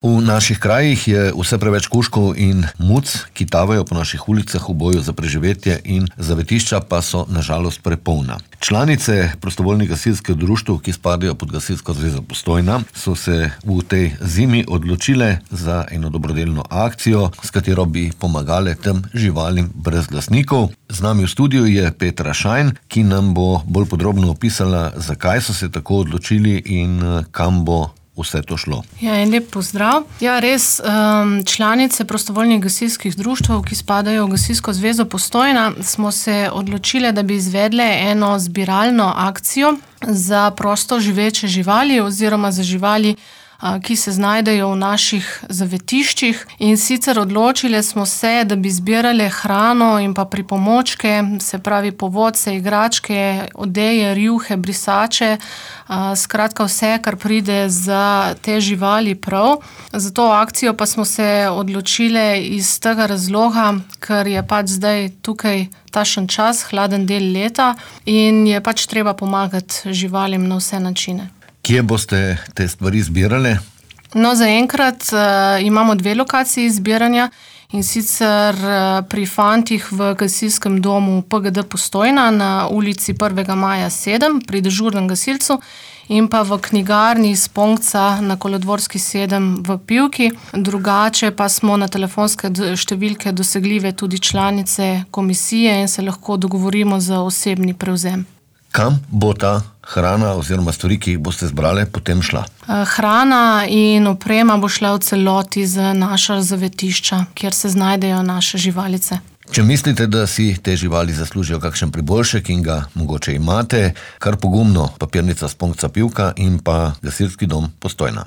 V naših krajih je vse preveč kužkov in muc, ki tavajo po naših ulicah v boju za preživetje in zavetišča pa so nažalost prepolna. Članice prostovoljnih gasilskih društev, ki spadajo pod Gasilsko zvezo Postojna, so se v tej zimi odločile za eno dobrodelno akcijo, s katero bi pomagale tem živalim brez lastnikov. Z nami v studiu je Petra Šajn, ki nam bo bolj podrobno opisala, zakaj so se tako odločili in kam bo vse to šlo. Ja, en lep pozdrav. Ja, res, članice prostovoljnih gasilskih društev, ki spadajo v Gasilsko zvezo Postojna, smo se odločile, da bi izvedle eno zbiralno akcijo za prosto živeče živali oziroma za živali, ki se znajdejo v naših zavetiščih. In sicer odločile smo se, da bi zbirale hrano in pa pripomočke, se pravi povodce, igračke, odeje, rjuhe, brisače, skratka vse, kar pride za te živali prav. Za to akcijo pa smo se odločile iz tega razloga, ker je pač zdaj tukaj tašen čas, hladen del leta in je pač treba pomagati živalim na vse načine. Kje boste te stvari zbirale? No, zaenkrat imamo 2 lokaciji zbiranja, in sicer pri fantih v gasilskem domu PGD Postojna na ulici 1. maja 7 pri dežurnem gasilcu in pa v knjigarni Sponkca na Kolodvorski 7 v Pivki. Drugače pa smo na telefonske številke dosegljive tudi članice komisije in se lahko dogovorimo za osebni prevzem. Kam bo ta hrana oziroma stvari, ki jih boste zbrale, potem šla? Hrana in oprema bo šla v celoti za naša zavetišča, kjer se znajdejo naše živalice. Če mislite, da si te živali zaslužijo kakšen priboljšek in ga mogoče imate, kar pogumno, papirnica Sponkca Pivka in pa Gasilski dom Postojna.